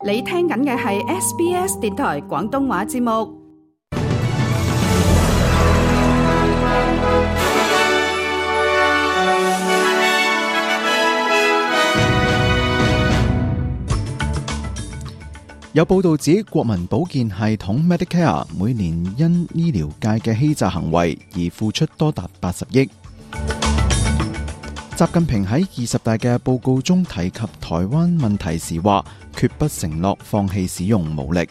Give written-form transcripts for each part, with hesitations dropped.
你聽緊嘅係 SBS 電台廣東話節目。有報道指，國民保健系統 Medicare 每年因醫療界嘅欺詐行為而付出多達80億。習近平喺20大嘅報告中提及台灣問題時話，決不承諾放棄使用武力。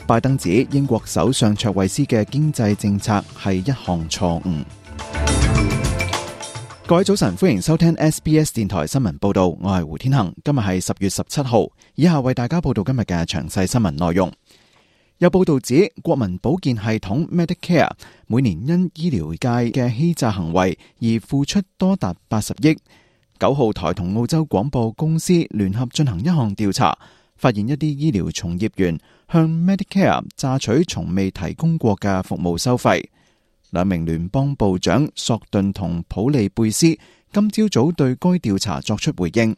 拜登指英國首相卓慧思嘅經濟政策係一項錯誤。各位早晨，歡迎收聽 SBS 電台新聞報道，我係胡天恒。今日係10月17號，以下為大家報道今日嘅詳細新聞內容。有報道指，國民保健系統 Medicare 每年因醫療界嘅欺詐行為而付出多達80億。9號台同澳洲廣播公司聯合進行一項調查，發現一啲醫療從業員向 Medicare 榨取從未提供過嘅服務收費。兩名聯邦部長索頓同普利貝斯今朝早對該調查作出回應。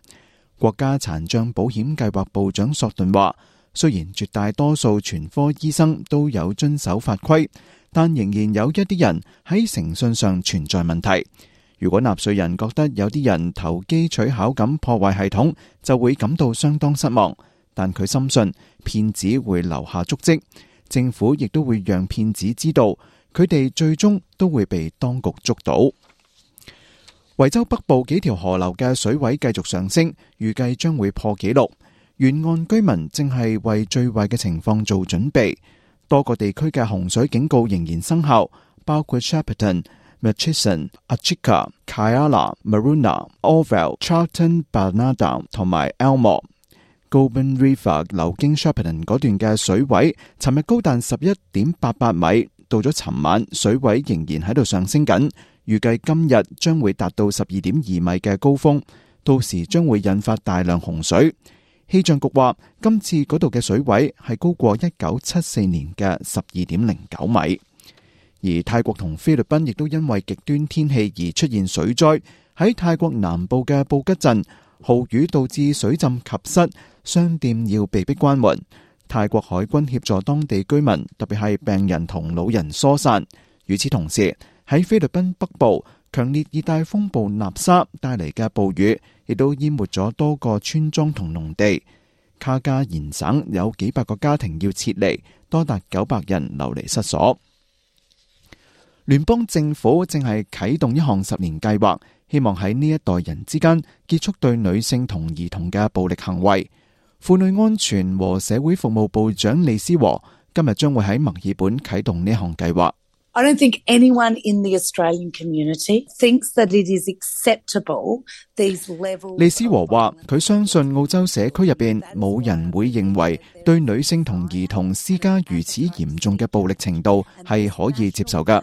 國家殘障保險計劃部長索頓話，雖然絕大多數全科醫生都有遵守法規，但仍然有一啲人喺誠信上存在問題。如果納稅人覺得有啲人投機取巧咁破壞系統，就會感到相當失望。但佢深信騙子會留下足跡，政府亦都會讓騙子知道，佢哋最終都會被當局捉到。維州北部幾條河流嘅水位繼續上升，預計將會破紀錄。沿岸居民正係為最壞嘅情況做準備。多個地區嘅洪水警告仍然生效，包括 Shepparton、Murchison、Achika、Kyala、Maruna、Orville、Charlton、Burnada 同埋 Elmore。Goulburn River 流經 Shepparton 嗰段嘅水位，尋日高達11.88米，到咗尋晚水位仍然喺度上升緊，預計今日將會達到12.2米嘅高峰，到時將會引發大量洪水。氣象局話，今次嗰度嘅水位係高過1974年嘅12.09米。而泰國同菲律賓亦都因為極端天氣而出現水災，喺泰國南部嘅布吉鎮，豪雨導致水浸及室，商店要被迫關門。泰國海軍協助當地居民，特別係病人同老人疏散。與此同時，喺菲律賓北部，強烈熱帶風暴納沙帶嚟嘅暴雨，亦都淹沒咗多個村莊同農地。卡加延省有幾百個家庭要撤離，多達900人流離失所。聯邦政府正係啟動一項10年計劃，希望喺呢一代人之間結束對女性同兒童嘅暴力行為。婦女安全和社會服務部長利斯和今日將會喺墨爾本啟動呢項計劃。I don't think anyone in the Australian community thinks that it is acceptable these levels. 利斯和話，佢相信澳洲社區入邊冇人會認為對女性同兒童施加如此嚴重嘅暴力程度係可以接受㗎。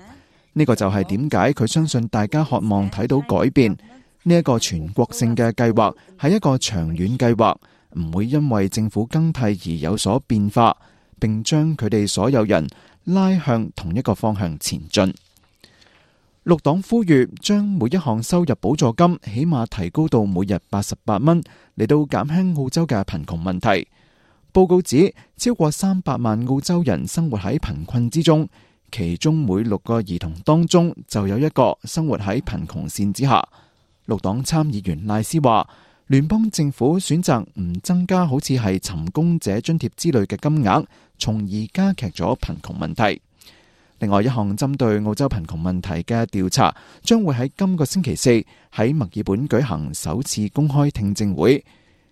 呢個就係點解佢相信大家渴望睇到改變。呢一個全國性嘅計劃係一個長遠計劃，唔會因為政府更替而有所變化，並將佢哋所有人拉向同一個方向前進。綠黨呼籲將每一項收入補助金起碼提高到每日88蚊，嚟到減輕澳洲嘅貧窮問題。報告指，超過300萬澳洲人生活喺貧困之中，其中每6個兒童當中就有1個生活喺貧窮線之下。綠黨參議員賴斯話，聯邦政府選擇唔增加好似係尋工者津貼之類嘅金額，從而加劇咗貧窮問題。另外一項針對澳洲貧窮問題嘅調查，將會喺今個星期4喺墨爾本舉行首次公開聽證會。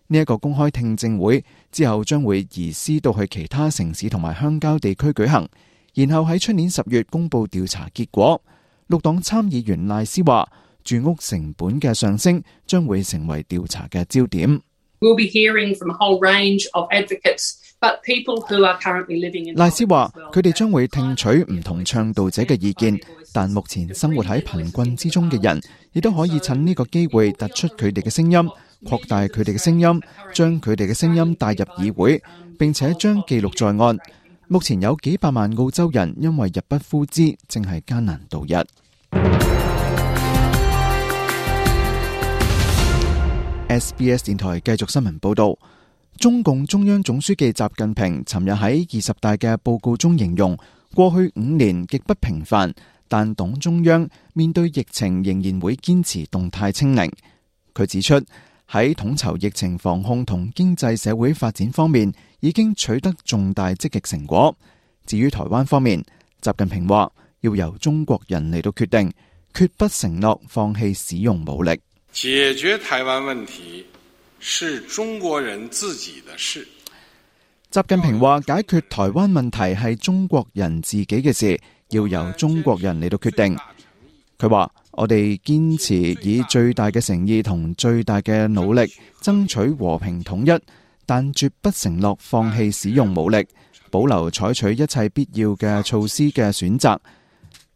呢一個公開聽證會之後將會移師到去其他城市同埋鄉郊地區舉行，然後喺出年10月公布調查結果。綠黨參議員賴斯話，住屋成本嘅上升將會成為調查嘅焦點。賴斯話，佢哋將會聽取唔同倡導者嘅意見，但目前生活喺貧困之中嘅人，亦都可以趁呢個機會突出佢哋嘅聲音，擴大佢哋嘅聲音，將佢哋嘅聲音帶入議會，並且將記錄在案。目前有幾百萬澳洲人因為入不敷支，正係艱難度日。SBS 電台繼續新聞報道。中共中央總書記習近平尋日喺20大嘅報告中形容，過去5年極不平凡，但黨中央面對疫情仍然會堅持動態清零。佢指出，喺統籌疫情防控同經濟社會發展方面已經取得重大積極成果。至於台灣方面，習近平話要由中國人嚟到決定，決不承諾放棄使用武力。解決台灣問題是中國人自己的事。習近平話解決台灣問題係中國人自己嘅事，要由中國人嚟到決定。佢話我哋堅持以最大嘅誠意同最大嘅努力爭取和平統一，但絕不承諾放棄使用武力，保留採取一切必要嘅措施嘅選擇。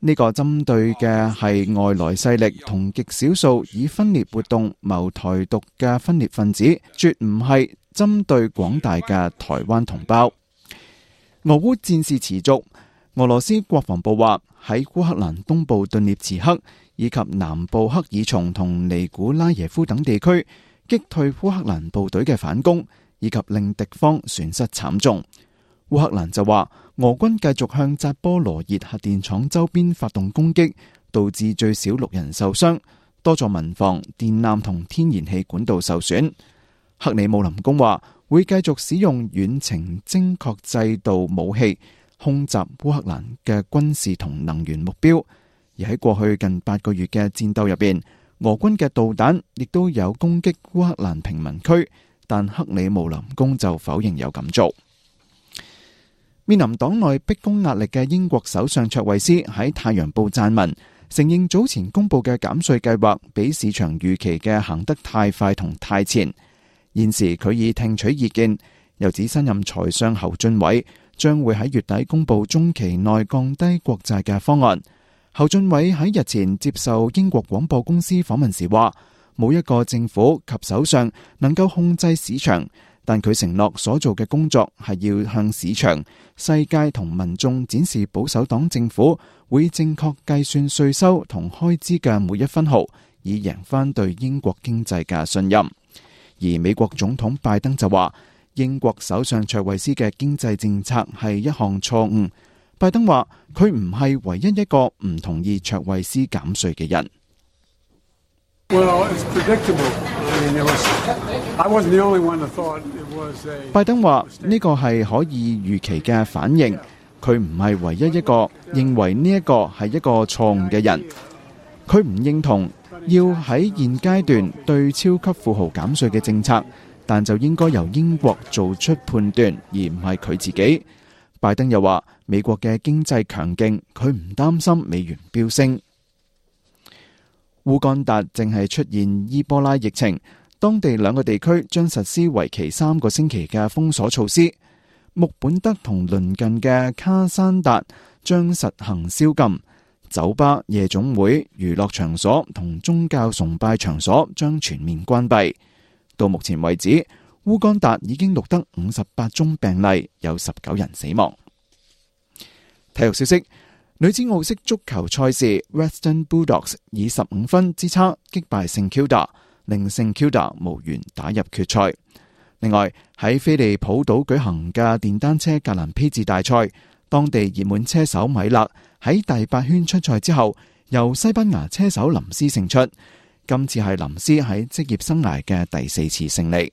呢個針對嘅係外來勢力同極少數以分裂活動謀台獨嘅分裂分子，絕唔係針對廣大嘅台灣同胞。俄烏戰事持續，俄羅斯國防部話喺烏克蘭東部頓涅茨克以及南部克爾松同尼古拉耶夫等地區擊退烏克蘭部隊嘅反攻，以及令敵方損失慘重。烏克蘭就話俄軍繼續向扎波羅熱核電廠周邊發動攻擊，導致最少6人受傷，多座民房、電纜同天然氣管道受損。克里姆林宮話會繼續使用遠程精確制導武器空襲烏克蘭嘅軍事同能源目標。而喺過去近8個月嘅戰鬥入邊，俄軍嘅導彈亦都有攻擊烏克蘭平民區，但克里姆林宮就否認有咁做。面臨黨內逼宮壓力嘅英國首相卓慧思喺《太陽報》撰文，承認早前公布嘅減稅計劃比市場預期嘅行得太快同太前。現時佢已聽取意見，又指新任財相侯俊偉將會喺月底公布中期內降低國債嘅方案。侯俊偉喺日前接受英國廣播公司訪問時話，冇一個政府及首相能夠控制市場，但佢承諾所做嘅工作係要向市場、世界同民眾展示保守黨政府會正確計算稅收同開支嘅每一分毫，以贏返對英國經濟嘅信任。而美國總統拜登就話，英國首相卓慧思嘅經濟政策係一項錯誤。拜登話佢唔係唯一一個唔同意卓慧思減稅嘅人。拜登話呢個係可以預期嘅反應，佢唔係唯一一個認為呢一個係一個錯誤嘅人。佢唔認同要喺現階段對超級富豪減稅嘅政策，但就應該由英國做出判斷，而唔係佢自己。拜登又話美國嘅經濟強勁，佢唔擔心美元飆升。烏干達正係出現伊波拉疫情，當地2個地區將實施為期3個星期嘅封鎖措施。穆本德同鄰近嘅卡山達將實行宵禁，酒吧、夜總會、娛樂場所同宗教崇拜場所將全面關閉。到目前為止，烏干達已經錄得58宗病例，有19人死亡。體育消息，女子奧式足球賽事 Western Bulldogs 以15分之差擊敗聖 Kilda， 令聖 Kilda 無緣打入決賽。另外喺菲利普島舉行嘅電單車格蘭披治大賽，當地熱門車手米勒喺第8圈出賽之後，由西班牙車手林斯勝出。今次係林斯喺職業生涯嘅第4次勝利。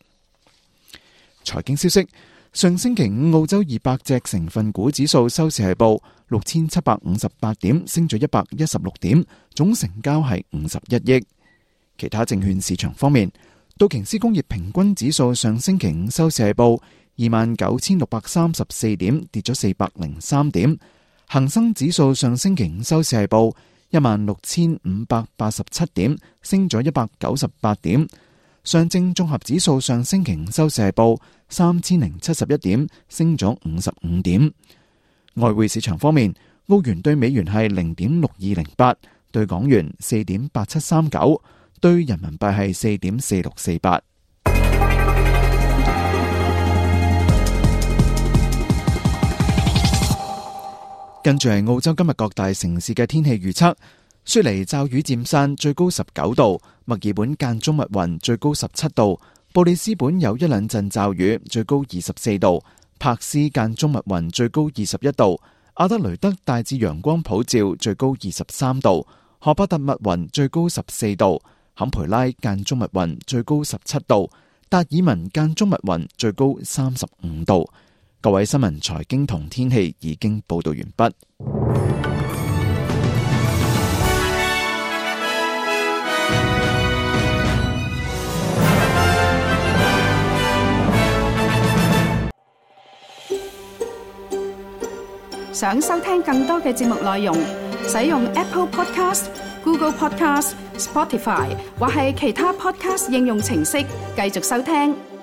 財經消息，上星期5澳洲200隻成分股指數收市係報6758點，升咗116點，總成交係51億。其他證券市場方面，道瓊斯工業平均指數上星期5收市係報29,634點，跌咗403點。恒生指數上星期5收市係報16,587點，升咗198點。上證綜合指數上星期5收市係報3071點，升咗55點。外匯市場方面，澳元對美元係0.6208，對港元4.8739，對人民幣係4.4648。跟住係澳洲今日各大城市嘅天氣預測。雪梨驟雨漸散，最高19度；墨爾本間中密雲，最高17度；布里斯本有一兩陣驟雨，最高24度；柏斯間中密雲，最高21度；阿德雷德大致陽光普照，最高23度；荷伯特密雲，最高14度；坎培拉間中密雲，最高17度；達爾文間中密雲，最高35度。各位新聞、財經同天氣已經報道完畢。想收聽更多嘅節目內容，使用 Apple Podcast、Google Podcast、Spotify 或係其他 Podcast 應用程式繼續收聽。